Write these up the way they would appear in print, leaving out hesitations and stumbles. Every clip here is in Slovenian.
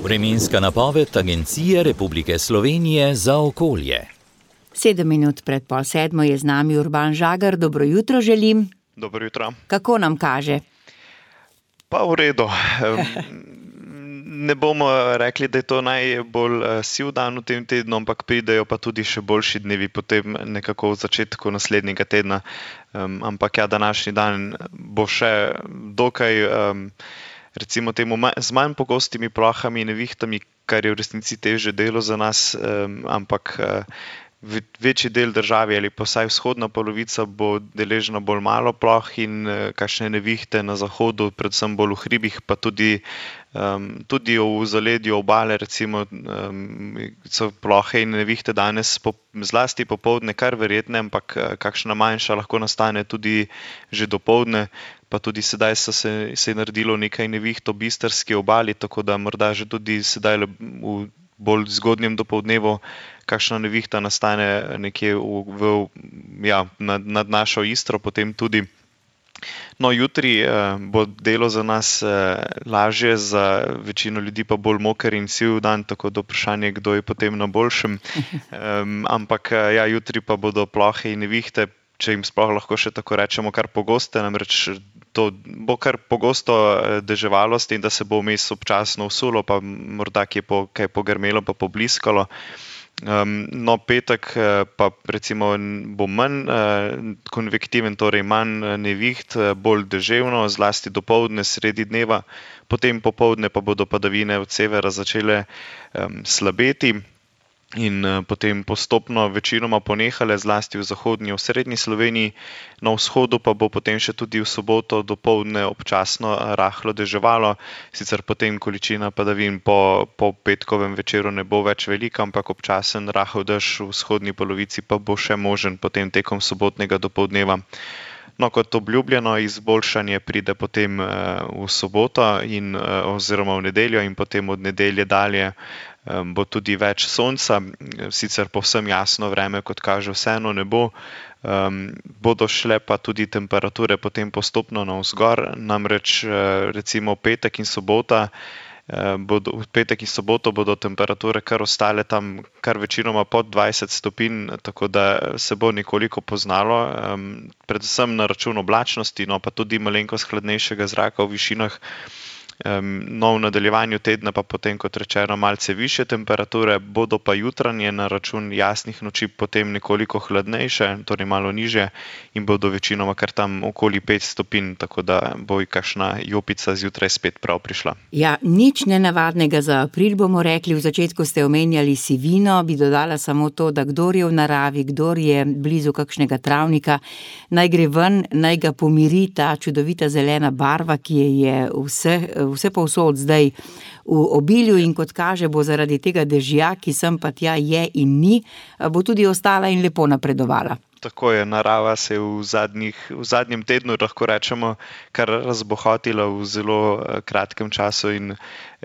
Vremenska napoved Agencije Republike Slovenije za okolje. 7 minut pred 6:30 je z nami Urban Žagar. Dobro jutro želim. Dobro jutro. Kako nam kaže? Pa v redu. Ne bomo rekli, da je to najbolj siv dan v tem tednu, ampak pridejo pa tudi še boljši dnevi potem nekako v začetku naslednjega tedna. Ampak ja, današnji dan bo še dokaj, recimo temu, z manj pogostimi plohami in nevihtami, kar je v resnici težje delo za nas, ampak večji del države ali pa vsaj vzhodna polovica bo deležna bolj malo ploh in kakšne nevihte na zahodu, predvsem bolj v hribih, pa tudi v zaledju obale, recimo, so plohe in nevihte danes zlasti popoldne kar verjetne, ampak kakšna manjša lahko nastane tudi že dopoldne, pa tudi sedaj se je naredilo nekaj neviht ob istrski obali, tako da morda že tudi sedaj v bolj zgodnjem dopoldnevu kakšna nevihta nastane nekje nad našo Istro, potem tudi. No, jutri bo delo za nas lažje, za večino ljudi pa bolj moker in siv dan, tako da vprašanje, kdo je potem na boljšem. Ampak ja, jutri pa bodo plohe in nevihte, če jim sploh lahko še tako rečemo, kar pogoste, namreč to bo kar pogosto deževalo, s tem, da se bo vmes občasno vsulo, pa morda kaj pogrmelo pa pobliskalo. No, petek pa recimo bo manj konvektiven, torej manj neviht, bolj deževno, zlasti dopoldne, sredi dneva, potem popoldne pa bodo padavine od severa začele slabeti in potem postopno večinoma ponehale, zlasti v zahodnji, v srednji Sloveniji. Na vzhodu pa bo potem še tudi v soboto dopoldne občasno rahlo deževalo, sicer potem količina padavin po petkovem večeru ne bo več velika, ampak občasen rahel dež v vzhodni polovici pa bo še možen potem tekom sobotnega dopoldneva. No, kot obljubljeno, izboljšanje pride potem v soboto oziroma v nedeljo in potem od nedelje dalje bo tudi več sonca, sicer povsem jasno vreme, kot kaže, vseeno ne bo. Bodo šle pa tudi temperature potem postopno navzgor, namreč recimo petek in soboto bodo temperature kar ostale tam kar večinoma pod 20 stopinj, tako da se bo nekoliko poznalo, predvsem na račun oblačnosti, no pa tudi malenkost hladnejšega zraka v višinah. No, v nadaljevanju tedna pa potem, kot rečeno, malce višje temperature, bodo pa jutranje na račun jasnih noči potem nekoliko hladnejše, torej malo nižje in bodo večinoma kar tam okoli 5 stopinj, tako da bo kakšna jopica zjutraj spet prav prišla. Ja, nič nenavadnega za april, bomo rekli. V začetku ste omenjali sivino, bi dodala samo to, da kdor je v naravi, kdor je blizu kakšnega travnika, naj gre ven, naj ga pomiri ta čudovita zelena barva, ki je vse povsod zdaj v obilju in kot kaže, bo zaradi tega dežja, ki sem pa tja je in ni, bo tudi ostala in lepo napredovala. Tako je, narava se je v zadnjem tednu, lahko rečemo, kar razbohotila v zelo kratkem času in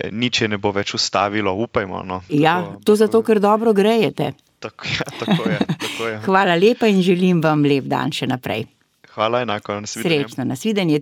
nič je ne bo več ustavilo, upajmo. No. Ja, to zato, ker dobro grejete. Tako je. Hvala lepa in želim vam lep dan še naprej. Hvala, enako, nasvidenje. Srečno, nasvidenje.